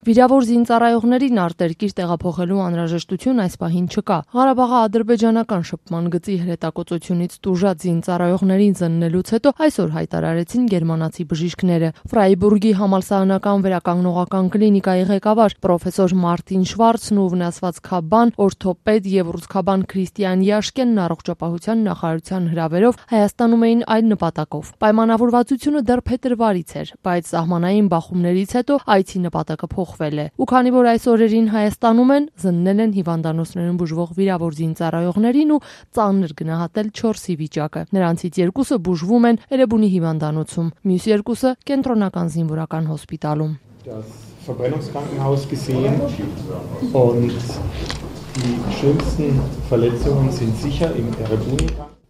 Վիրավոր զինծառայողներին արտերկիր տեղափոխելու անհրաժեշտություն այս պահին չկա։ Ղարաբաղի ադրբեջանական շփման գծի հրետակոծությունից տուժած զինծառայողներին զննելուց հետո այսօր հայտարարեցին գերմանացի բժիշկները։ Ֆրայբուրգի համալսարանական վերականգնողական կլինիկայի ղեկավար պրոֆեսոր Մարտին Շվարցն ու վնասված քաբան, օրթոպեդ եւ ռուսքաբան Քրիստիան Յաշկենն առողջապահության նախարարության հրավերով Հայաստանում էին այլ նպատակով։ Պայմանավորվածությունը դեռ փետրվարից էր, բայց սահմանային բախումներից հետո այցի նպատակը փոխվել է։ Ու քանի որ այս օրերին Հայաստանում են, զննել են հիվանդանոցներում բուժվող վիրավոր զինծառայողներին ու ծանր գնահատել 4-ի վիճակը։ Նրանցից 2-ը բուժվում են Էրեբունի հիվանդանոցում, մյուս 2-ը կենտրոնական զինվորական հոսպիտալում։ Das Verbrennungskrankenhaus gesehen und die schlimmsten Verletzungen sind sicher im Erebuni.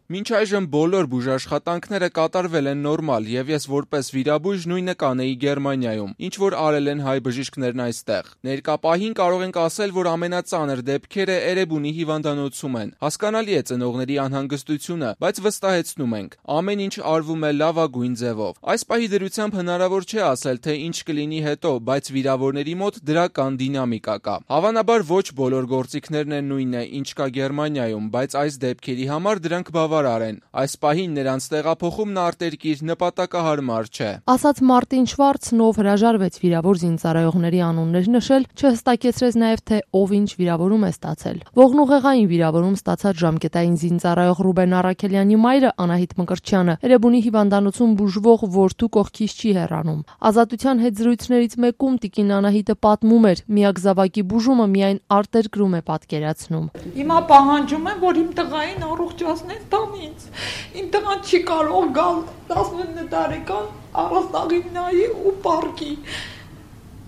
Մինչ այժմ բոլոր բուժաշխատանքները կատարվել են նորմալ եւ ես որպես վիրաբույժ նույնը կանեի Գերմանիայում, ինչ որ արել են հայ բժիշկներն այստեղ։ Ներկա պահին կարող ենք ասել, որ ամենածանր դեպքերը Էրեբունի հիվանդանոցում են։ Հասկանալի է ծնողների անհանգստությունը, բայց վստահեցնում ենք, ամեն ինչ արվում է լավագույն ձևով։ Այս պահի դրությամբ հնարավոր չէ ասել, թե ինչ կլինի հետո, բայց վիրավորների մոտ դրական դինամիկա կա։ Հավանաբար ոչ բոլոր գործիքներն են նույնը, ինչ կա Գերմանիայում, բայց այս դեպքերի համար դրանք Այս պահին նրանց տեղափոխումն արտերկիր նպատակահարմար չէ։ Ասաց Մարտին Շվարցն, ով հրաժարվեց վիրավոր զինծառայողների անուններ նշել, չհստակեցրեց նաև թե ով ինչ վիրավորում է ստացել։ Ողնուղեղային վիրավորում ստացած ժամկետային զինծառայող Ռուբեն Արաքելյանի մայրը Անահիտ Մկրտչյանը Էրեբունի հիվանդանոցում բուժվող որդու կողքից չի հեռանում։ Ազատության հետ զրույցներից մեկում տիկին Անահիտը պատմում էր, միակ զավակի բուժումը միայն արտերկրում է պատկերացնում։ Հիմա պահանջում եմ, որ իմ տղային առողջացնեն Իմ տղան չի կարող գալ 19 տարեկան առաստաղին նայի ու պարկի։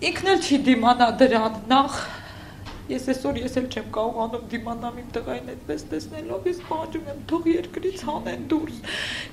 Ինքն էլ չի դիմանա դրան, նախ ես էլ չեմ կարողանում դիմանամ իմ տղային այդպես տեսնելով, ես պահանջում եմ թող երկրից հանեն դուրս։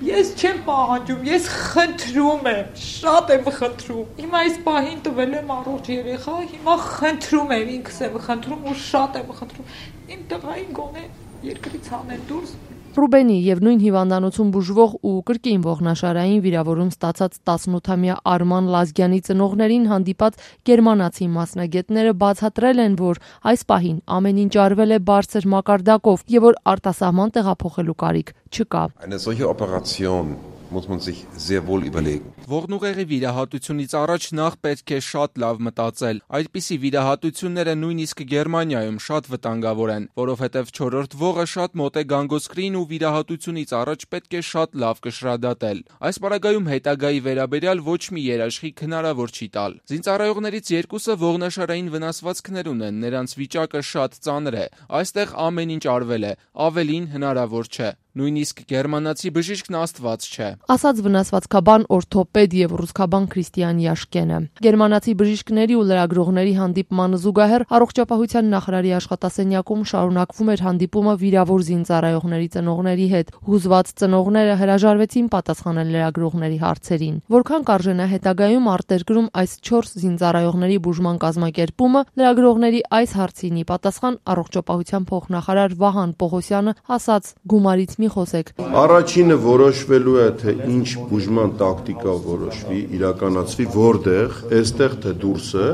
Ես չեմ պահանջում, ես խնդրում եմ, շատ եմ խնդրում։ Հիմա այս պահին տվել եմ առողջ երեխա, հիմա խնդրում եմ, ինքս եմ խնդրում ու շատ եմ խնդրում։ Իմ տղային գոնե երկրից հանեն դուրս։ Ռուբենի եւ նույն հիվանդանոցում բուժվող ու կրկին ողնաշարային վիրավորում ստացած 18-ամյա Արման Լազգյանի ծնողներին հանդիպած գերմանացի մասնագետները բացատրել են, որ այս պահին ամեն ինչ արվել է բարձր մակարդակով եւ որ արտասահման տեղափոխելու կարիք չկա։ Eine solche Operation muss man sich sehr wohl überlegen. Ողնուղեղի վիրահատությունից առաջ նախ պետք է շատ լավ մտածել։ Այդպիսի վիրահատությունները նույնիսկ Գերմանիայում շատ վտանգավոր են, որովհետև 4-րդ ողը շատ մոտ է գանգոսկրին ու վիրահատությունից առաջ պետք է շատ լավ կշռադատել։ Այս պարագայում հետագայի վերաբերյալ ոչ մի երաշխիք հնարավոր չի տալ։ Զինծառայողներից 2-ը ողնաշարային վնասվածքներ ունեն, նրանց վիճակը շատ ծանր է։ Այստեղ ամեն ինչ արվել է, ավելին հնարավոր չէ։ Նույնիսկ գերմանացի բժիշկն աստված չէ։ Ասաց վնասվածքաբան օրթոպեդ եւ ռուսքաբան Քրիստիան Յաշկենը։ Գերմանացի բժիշկների ու լրագրողների հանդիպմանը զուգահեռ առողջապահության նախարարի աշխատասենյակում շարունակվում էր հանդիպումը վիրավոր զինծառայողների ծնողների հետ։ Հուզված ծնողները հրաժարվեցին պատասխանել լրագրողների հարցերին։ Որքան կարժենա հետագայում արտերկրում այս 4 զինծառայողների բուժման կազմակերպումը, լրագրողների այս հարցինի պատասխան առողջապահության փոխնախարար Վահան Պողոսյանը ասաց. գումարից մի խոսեք։ Առաջինը որոշվելու է, թե ինչ բուժման տակտիկա որոշվի, իրականացվի, որտեղ, այստեղ թե դուրսը,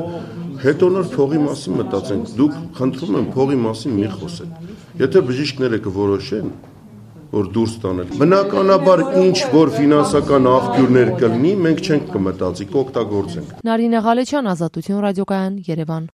հետո նոր փողի մասին մտածենք։ Դուք խնդրում եմ փողի մասին մի խոսեք։ Եթե բժիշկները կորոշեն, որ դուրս տանել, բնականաբար ինչ որ ֆինանսական աղբյուրներ կլինի, մենք չենք կմտածի, կօգտագործենք։ Նարինե Ղալեչյան, Ազատություն ռադիոկայան, Երևան։